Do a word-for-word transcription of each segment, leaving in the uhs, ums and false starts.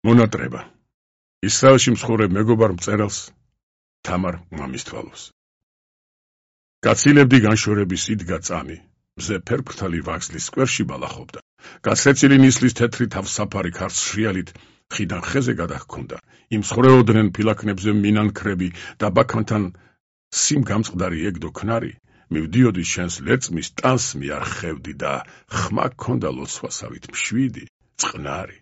მონატრება ისრაელში მსხურებ მეგობარ მწერალს თამარ მამისტვალოს. გაცილებდი განშორების იდგა წამი, მზე ფერფრთალი ვაგზლის სკვერში ბალახობდა. გასრეცილი ნისლის თეთრი თავსაფარი ქარს შრიალით ხიდან ხეზე გადაჰქონდა. იმ მსხურეოდნენ ფილაქნებზე მინანქრები და ბაქანთან სიმ გამწყდარი ეგდო ქნარი. მივდიოდი შენს ლერწმის ტანს მიარხევდი და ხმა გქონდა ლოცვასავით მშვიდი, წყნარი.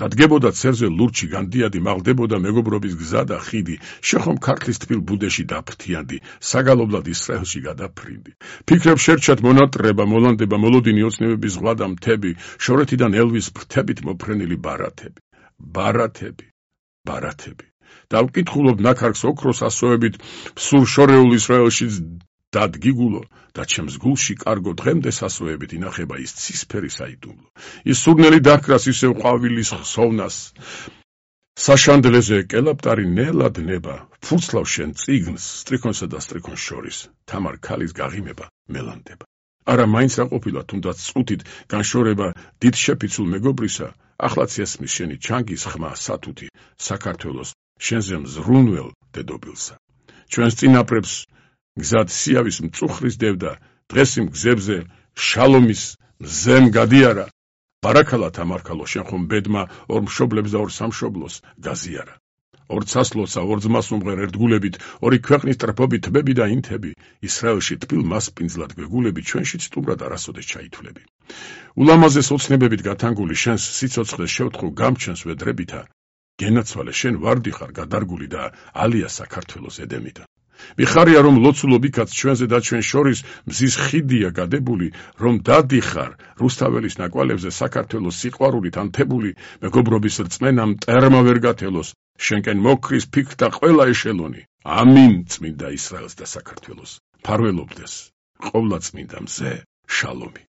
დადგებოდა ცერზე ლურჩი განდიადი, მაღლდებოდა მეგობრობის გზა და ხიდი, შეხომ ქართლის თბილ ბუდეში დაფრთიანდი, საგალობლად ისრაელში გადაფრინდი. ფიქრებს შერჩათ მონატრება, მოლანდება, მოლოდინი ოცნებების ზღვა და მთები, შორეთიდან ელვის ფრთებით მოფრენილი ბარათები. ბარათები, ბარათები. დავკითხულობ ნაქარგს ოქროს ასოებით, სულ შორეულ ისრაელში დადგიგულო და ჩემს გულში კარგო დღემდე სასოებით ინახება ის ცისფერი საიდუმლო. ის სურნელი დაქრას ისევ ყვავილის ხსოვნას. საშანდლეზე კელაპტარი ნელად ნება, ფურცლავ შენ წიგნს, სტრიქონსა და სტრიქონს შორის. თამარ ქალის გაღიმება მელანდება. არა მაინც რა ყოფილა, თუნდაც წუთით განშორება დიდ შეფიცულ მეგობრისა, ახლაც ესმის შენი ჩანგის ხმა სათუთი საქართველოს შენზე მზრუნველ დედობილსა. ჩვენს წინაპრებს გზად სიავის მწუხრის დევდა, დღეს იმ გზებზე შალომის მზემ გადიარა. ბარაქალა თამარქალო, შენ ხომ ბედმა ორ მშობლებს და ორ სამშობლოს გაზიარა. ორ ცასლოცა, ორ ძმას უმღერ ერთგულებით, ორი ქვეყნის ტრფობით თბები და ინთები, ისრაელში თბილ მასპინძლად გვეგულები, ჩვენშიც სტუმრად არასოდეს ჩაითვლები. ულამაზეს ოცნებებით გათანგული შენს სიცოცხლეს შევთხო გამჩენს ვედრებითა, გენაცვალე შენ ვარდი ხარ გადარგული და ალია საქართველოს ედემიდან. მიხარია რომ ლოცულობ იქაც ჩვენზე და ჩვენ შორის მზის ხიდია გადებული, რომ დადიხარ რუსთაველის ნაკვალებზე საქართველოს სიყვარულით ანთებული, მეგობრობის რწმენა მტერმა ვერ გათელოს, შენკენ მოკრის ფიქრთა ყველა ეშელონი. ამინ წმინდა ისრაელს და საქართველოს. ფარველობდეს ყოვლადწმინდა მზე შალომი.